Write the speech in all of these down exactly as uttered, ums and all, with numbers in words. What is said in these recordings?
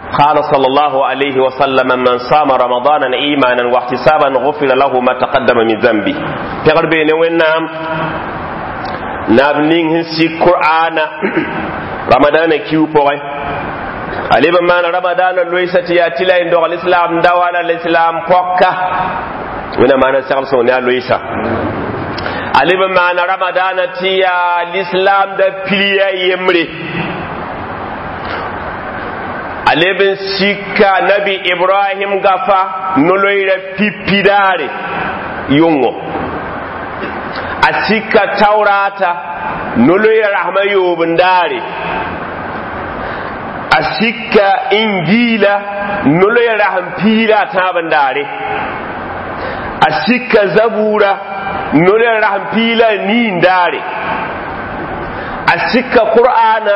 قال صلى الله عليه وسلم من صام رمضان ايمانا واحتسابا غفر له ما تقدم من ذنبه. pɛgr beene wẽnnaam naab ning sẽn sik qur'ana ramadana kiu pʋgẽ a leb n maana ramadana loɩsa tɩ yaa tɩ la n dogl islam da wala l'islam pɔka wẽnnaam maana segl sõng ne a loɩsa a leb n maana ramadana tɩ yaa l'islam da piliya yembre a leb n sika nabi ibrahim gafa noloyra pipidaare yʋngo a sika taurata noloyra rahma yoob n daare a sika injila noloyra rasm piila a tãab n daare a sika zabura noloyra rasm piila a nii n daare a sika qur'ana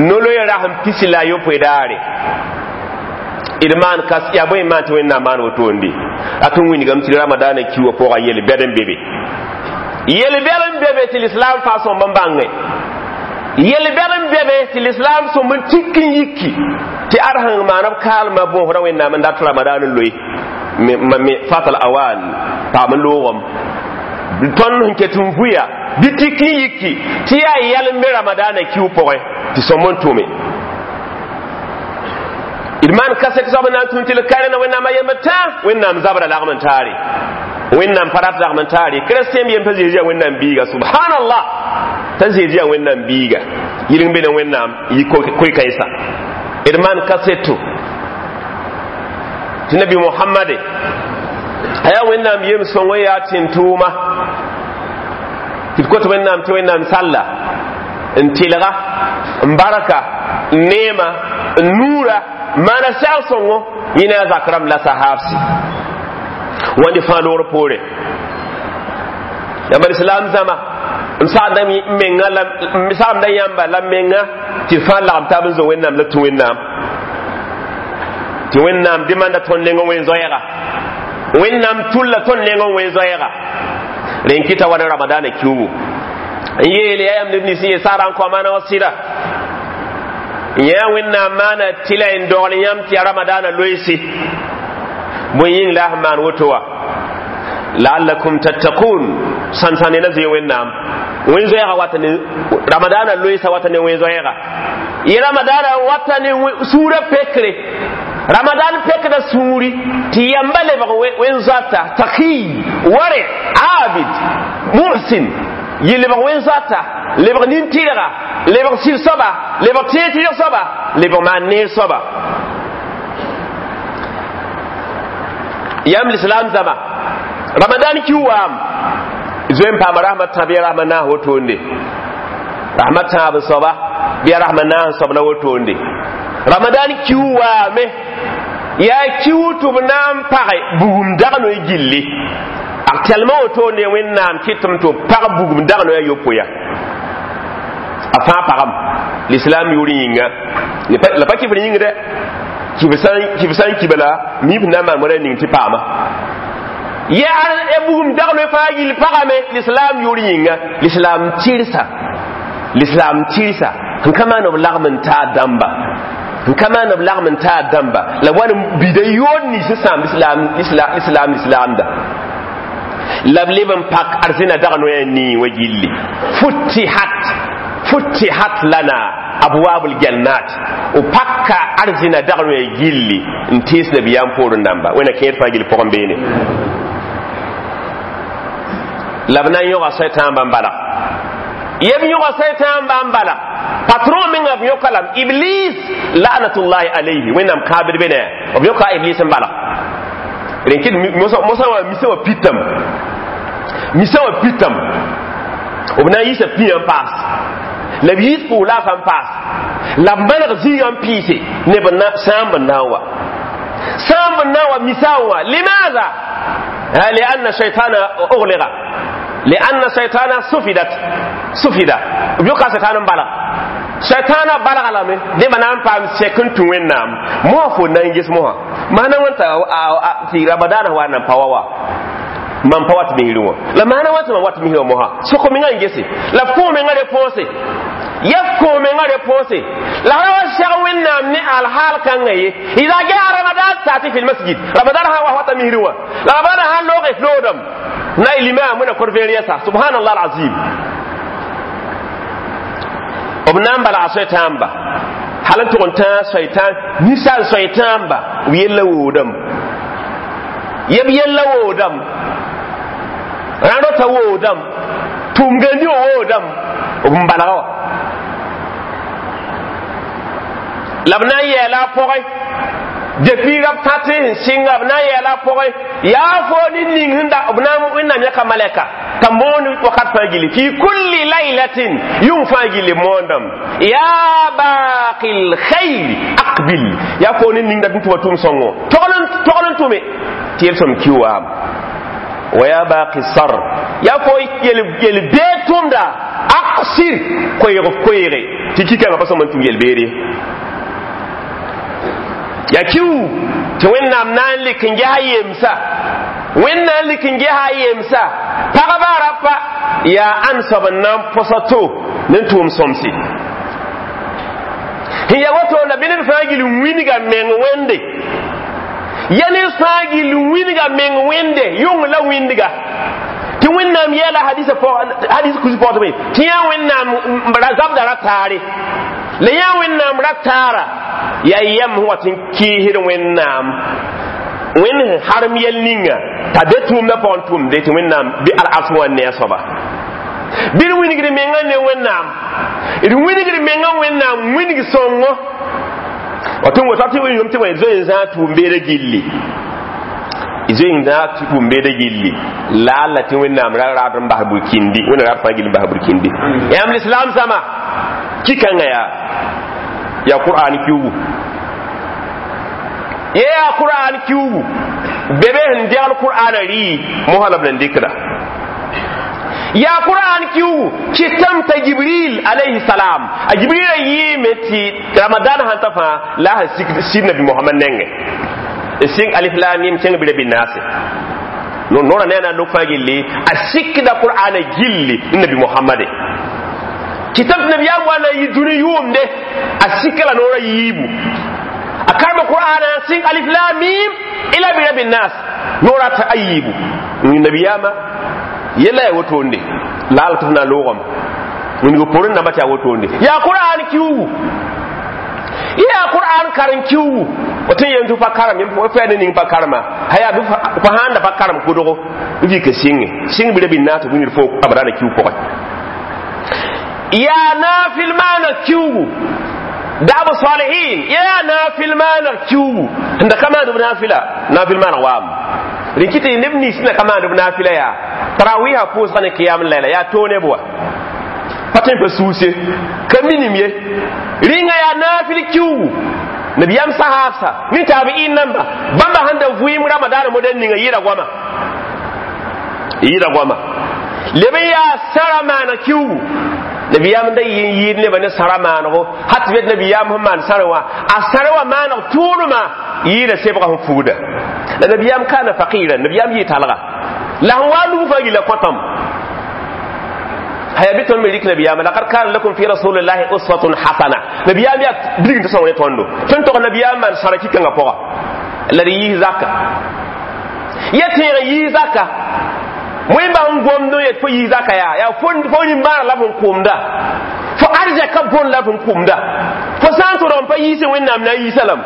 noloyra rasm pisi la a yopoe daare d maan kas yaa bõe n maan tɩ wẽnnaam maan wotoonde a tɩ n wilgame tɩ ramadana kiwã pʋga yel-bɛd n be be yel-bɛd n be be tɩ lislaam faa sõmb n bãnge yel-bɛd n be be tɩ lislaam sõmb n tik n yiki tɩ ad sẽn maan b kaalmã bõosrã wẽnnaam n dat ramadan n loe fatal awan paam n loogem tõnd sẽn ket n vʋya bɩ tik n yiki tɩ yaa yɛl n be ramadana kiu pʋgẽ tɩ sõmb n tʋme d maan kaset soab n na n tũn tɩ l karena wẽnnaam a yembr tã wẽnnaam zabra lagm n taare wẽnnaam pa rat lagm n taare kristien yem t'a zeezi yaa wẽnnaam biiga subhanallah t'a zeezi yaa wẽnnaam biiga yɩlg be ne wẽnnaam yi koe-kãensa d maan kaseto tɩ nabi mohamade a yaa wẽnnaam yem sõng yaa tẽn-tʋʋma tɩ d kot wẽnnaam tɩ wẽnnaam salla n tɩlga n barka n neema n nuura maana sɛg sõngo yẽ ne a zak rãmb la sahaabsi wãnd fãa loogr poore yãmba lislaam zãma m sagda menga la m sagamda yãmba la menga tɩ fãa lagm taab n zo wẽnnaam la tũ wẽnnaam tɩ wẽnnaam demanda tõnd neng n wẽn zoɛɛga wẽnnaam tulla tõnd neng n wẽn zoɛɛga rẽn kɩta wa ne ramadaana kiugu n yeele yaa yãmb neb nins n yee saara n kõ maana wã sɩda yã wẽnnaam maana tɩ la n dogl yãmb tɩ ya ramadaana loeese bõe yĩng la a sẽn maan woto wã laallakum tattakun sãn-sãne la zoe wẽnnaam wẽn zoɛɛga wata ne ramadaana loeesa wata ne wẽn zoɛɛga yẽ ramadaana wata ne sũurã pekre ramadan pekda sũuri tɩ yamba lebg wẽn zoata takiy ware abid muhsin yɩ lebg wẽn zoata lebg nin-tɩrga lebg sɩd soaba lebg tẽeg-tɩrg soaba lebg maan neer soaba yãmb lislaam zãma ramadan ki waam zoe n paama rasma tã bɩ ya rasma naas wotoonde rasma tãab n soaba bɩ ya rasma naas n soab la wotoonde ramadan ki waame yaa kiu tɩ b na n page bugum dagnoe gilli actuellement wotoonde wẽnnaam kɩtame tɩ b pag bugum dagnoe a yopoe ya a fãa pagam l'islam yʋʋr yĩnga la pa kɩfr yĩng dɛ kɩf sã n kiba la mib na n maan moada ning tɩ paama yaa bugum dagnoe fãa gill pagame l'islam yʋʋr yĩnga l'islam tɩrsa l'islam tɩrsa n ka maan b lagm n taa dãmba n ka maan b lagm n taa dãmba la wa n bida yood nins n sãam l'islam l'islam l'islamda la b leb n pak arzẽna dagnoe a nii wã gilli futihat futihat lana abwabul jannat o pakka arzẽna dagnoe gilli n tees nabiyaam poorẽ dãmba wẽna kẽer fãa gill pʋgẽ beene la b na n yõga sɛtãambã n bala yeb yõga sɛtãambã n bala patron menga b yõka lame iblis la'natullahi alayhi wẽnnaam kãabd be ne b yõka iblis n bala rẽn kɩt mosã wã misã wã pitame misã wã pitame b na n yiisa pĩyã n paas la b yiis pʋʋs laafã n paas la b maneg zĩigã n piise neb sãamb n na n wa sãamb n na n wa misã n wa limaada لأن الشيطان أغلق لأن الشيطان سفدت سفد بيوكا شيطان بلغ شيطان بلغ لامي دي ما نام فام سكن تو وينام مو فو نانجس مو ما نان وانتا تي رمضان هو نان باوا man pa wat misir wã la maana wã tɩ mam wat misrã mosã soko menga n gese la f kõ menga réponse Ya komenga réponse la rawa shag wẽnnaam ne alhaal kãngã ye. Ida gea Ramadan tati fi lmasjid, Ramadan sã wa wata misrẽ wã, la Ramadan sãn loog f loodame na y limam wẽna kor vẽer yɛsa. Subhanallah alazim. B na n balga soay-tãamba hal n tʋg n tãag soay-tãam ninsaal soay-tãamba b yella woodame, yeb yella woodame, rãnd rota woodame, tʋʋm-gãndi wã woodame, b n balga wã la b na n yɛɛla a pʋgẽ depuis rab tã tɩ sẽn sɩnga, b na n yɛɛla a pʋgẽ yaa fo ne ning sẽn da b na n wẽnnaam yãka malɛka t'a moon wakat fãa gilli, fi kulli laylatin, yʋng fãa gilli moondame: ya baqi lkhair aqbil. Yaa fo ne ning dat n tʋma tʋʋm sõngo togl n tʋme tɩ yel-sõm ki waam, wa ya baqi sar, yaa fo yel beed tʋmda, aqsir, koeeg f koeege tɩ kikãngã pa sõm n tũm yel-beere. Ya kiu tɩ Wẽnnaam na n lik n ges a yemsa, Wẽnnaam lik n ges a yemsa pagba rapa yaa ãn soab n na n põsa to ne tʋʋm sõmse sẽn ya woto la bɩ ned fãa gil n wilga meng wẽnde, ya ned fãa gil n wilga meng wẽnde yʋng la wĩndga tɩ Wẽnnaam yɛɛla hadisa hadis kusi pɔgtme tɩ yã Wẽnnaam zabda ra taare la yã Wẽnnaam ra taara yaa yɛm sẽn wat n kɩɩsd Wẽnnaam wẽnd sẽn harem yɛl ninga t'a be tʋʋmdã pʋgẽ tʋmde tɩ Wẽnnaam bɩ al-ars wã ne a soaba bɩ d wilgd mengã ne Wẽnnaam, d wilgd mengã Wẽnnaam wilg sõngo wa tɩ wota tɩ yom tɩ wã zoe n zãag tʋʋm-beedã gilli, zoe n zãag tʋʋm-beedã gilli la alla tɩ Wẽnnaam ra raad n bas burkindi, Wẽnnaam raad fãa gill n bas burkindi yãmb lislaam zãma kikãngã yaa yaa Qur'an kiugu, ye yaa Qur'an kiugu bebe sẽn degl Qur'ana rɩ mosã la b nan dɩkda yaa Qur'an kiugu kɩtame t'a Jibril alayhi salam, a Jibril a yɩɩme tɩ Ramadan sãn ta fãa la a sẽn sig nabi Mohamad nengẽ n sɩng alif lam mim kẽng bɩ rabi naase nora ne a na n lok fãa gilli a sikda Qur'ana gilli ne nabi Mohamade kɩtame tɩ nabiyaam wa na n yɩ dũni yʋʋmde a sika la noorã yiibu a karema Qur'ana sɩng alif lam mim ila bi rabi nas noorã t'a a yiibu nabiyaama yella ya wotonde la ala tɩ f na n loogame wĩngo porẽ namba tɩ yaa wotonde yaa Qur'an kiugu, yaa Qur'an karen kiugu tɩ n yem tɩ pa karem fɛ ne ning pa karema ha yaa pa sãn da pa karem kʋdgo n vɩ ka sɩnge sɩng bɩ rabin naas tɩ wĩndr fo abadana kiu pʋgẽ yaa naafɩl maana kiugu da'b salihin yaa naafɩl maana kiugu sẽn da ka maand b naafɩla naafɩl maaneg waam rẽn kɩ tɩ neb nins na ka maand b naafɩla yaa tarawiha pʋʋsga ne kiyam layla yaa too neb wa pa tõe n pa suuse ka minim ye rĩnga yaa naafɩl kiugu nabiyam sahabsa ni tabi'in namba bãmba sẽn da vɩɩm Ramadaana modɛl ninga yɩɩda goama yɩɩda goama leb n yaa sara maana kiugu nabiyam da yɩ n yɩɩd nebã ne sara maanego hat tɩ bet nabiyam sẽn maan sara wã a sara wã maaneg tʋʋlmã yɩɩda sebga sẽn fugda la nabiyam kana faqiran nabiyam yɩ talga la sẽn wa lug fãa gilla kõtame haya bɩ tõnd me rɩk nabiyaama laqad kana lakum fi rasulillahi uswatun hasana nabiyaam yaa bilg tɩ sõng ne tõndo tõnd tog nabiyaam maan sara kikãngã pʋga la d yiis zaka ya tẽeg yiis zaka wẽn n gomd n yet fo yiis zaka yaa yaa fo rĩmbaara la f n kʋmda fo arzɛka bõn la f n kʋmda fo sã n tʋrg n pa yiisẽ Wẽnnaam na n yiisa lame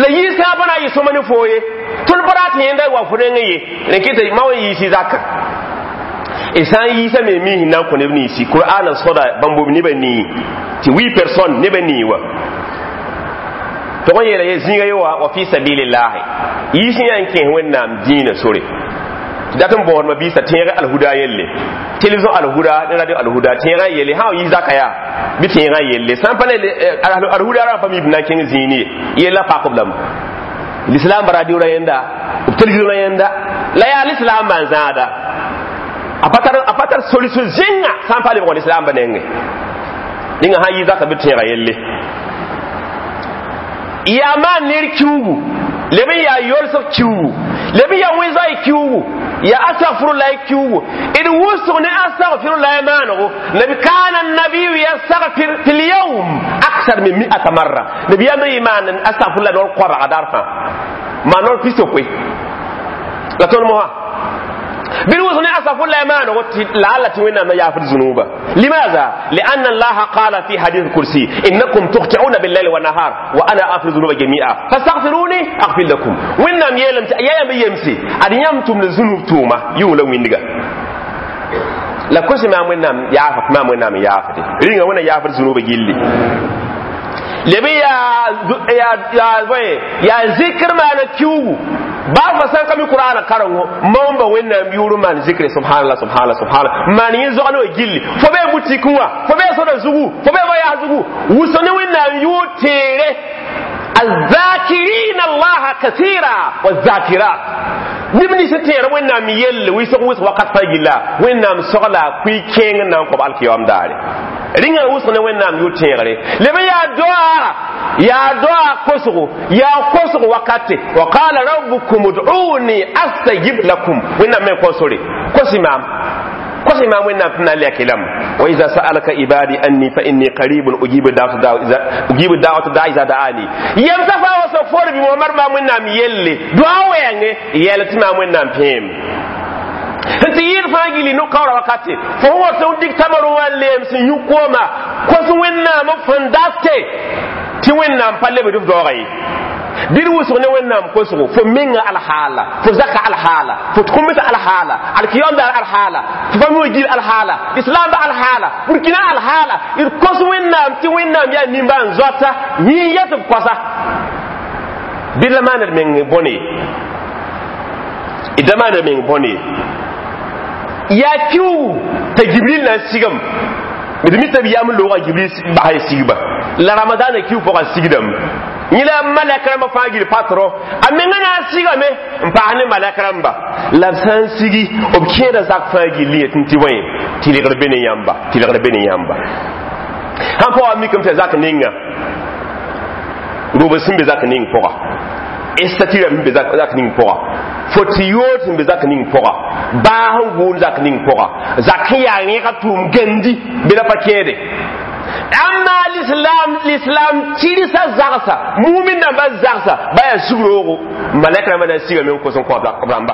la yiis sã pa na n yɩ sõma ne foo ye tõnd pa rat yẽnda wa fo reng ye rẽn kɩ ma wã yiisi zaka y sã n yiisa me mi sẽn na n kõ neb ninsi Qur'ana sõda bãmb b nebã nii tɩ huit personne nebã nii wa tog n yeela ye zĩiga ye wa wa fi sabilillahi yiis n yaa n kẽes Wẽnnaam dĩinã sore tɩ dat n bõodmã biisã tẽeg Alhuda yelle télévision Alhuda ne radio Alhuda tẽegã yelle sã wa yiis zaka yaa bɩ tẽegã yelle sã n pa ne Alhuda rã pa mi b na n kẽng zĩini ye yella pakb lame l'islam radio ra yẽnda b télévision ra yẽnda la yaa l'islam maan zãada a pa tar a pa tar solution zẽnga sã n pa lebg lislaambã nengẽ ninga sã n yɩ zaka bɩ tẽega yelle yaa maan ner kiugu leb n yaa yolsg kiugu Leb ya wẽn-zoay kiugu ya astaghfirullah kiugu d wʋsg ne astaghfirullah maanego. Nabi kana nabiyu yastaghfir fi lyawm aksar min mi'ata marra. Nabiyaam yɩ maan astaghfirullah noor koabga daar fãa, maan noor pis-yopoe la tõnd mosã bɩ d wʋsg ne astaghfirullah maanego tɩ laala tɩ Wẽnnaam na yaafd zunuba. Limaza? Lianna Allaha qala fi hadith kursi: innakum tukhti'una billayli wa nahar wa ana aghfiru dhunuba jami'a fastaghfiruni aghfir lakum. Wẽnnaam yeelame tɩ ya yãmb yemse ad yãmb tʋmd zunub tʋʋma yʋng la wĩndga la kos maam Wẽnnaam yaafa maam Wẽnnaam n yaafde rĩnga Wẽnna yaafd zunuba gilli. Leb yaa yaa yaa zikr maana kiugu baa fa sãn ka mi Qur'ana karengo maoomba Wẽnnaam yʋʋr maan zikre subhanallah subhanallah subhanallah maan yẽ zogl wã gilli. Fo bee butikẽ wã, fo bee soda zugu, fo bee ba-yaas zugu, wʋsg ne Wẽnnaam yʋʋr teere الذاكرين الله كثيرا والذاكرات. Neb nins n tẽer Wẽnnaam yelle wɩsg wʋsg wakat fãa gilla Wẽnnaam sogla kui kẽeng n na n kõb alkiyam daare. Rĩnga wʋsg ne Wẽnnaam yʋ tẽegre. Leb yaa doa, yaa doa kosgo, yaa kosgo wakate. Wa qala rabbukum ud'uni astajib lakum. Wẽnnaam me kõ sore kosi maam, kosi maam Wẽnnaam tɩ na n lɛk lame. Wa iza sa'alaka ibadi anni fa inni qaribun ujibu da'wata da'i ujibu da'wata da'i iza da'ani. Yemsa fa wa so for bi Muhammad maam Wẽnnaam yelle doa wɛɛnge yɛl tɩ maam Wẽnnaam pẽem n tɩ yɩɩd fãa gilli no-kaoora wakate fo sẽn wat n dig tamarẽ wã leem sẽn yũ kooma kos Wẽnnaam fõn date tɩ Wẽnnaam pa lebd f daooga ye. Bɩ d wʋsg ne Wẽnnaam kosgo fo menga alhaala, fo zaka alhaala, fo tʋmd alhaala, alkiyom daar alhaala, fo fami gil alhaala, islaamba alhaala, Burkina alhaala. D kos Wẽnnaam tɩ Wẽnnaam yaa nimbãan zoata yẽ yɛ tɩ b kosa bɩ la maand d meng bõne ye, d da maand d meng bõne ye. Yaa kiugu t'a Jibril na n sigem d mi tɩ b yam loogã Jibril bas sigba la Ramadaana kiu pʋgã sigdame. Yẽ la malɛk rãmbã fãa gil patro a menga na n sigame n paas ne malɛk rãmba la b sã n sigi b kẽeda zak fãa gilli yetɩ tɩ wẽ tɩlgr be ne yãmba, tɩlgr be ne yãmba. Sãn pa wa mikame tɩ zak ninga rʋbs sẽn be zak ning pʋga, statue sẽn be zak ning pʋga, fo tɩ yood sẽn be zak ning pʋga, baas n gʋʋn zak ning pʋga, zak sẽn yaa rẽega tʋʋm gandi bɩ la pa kẽede. Amma l'islam, l'islam tirsa zagsa mumin namba zagsa baya sugroogo malɛk rãmbã na n sigame n kos n kõ b rãmba.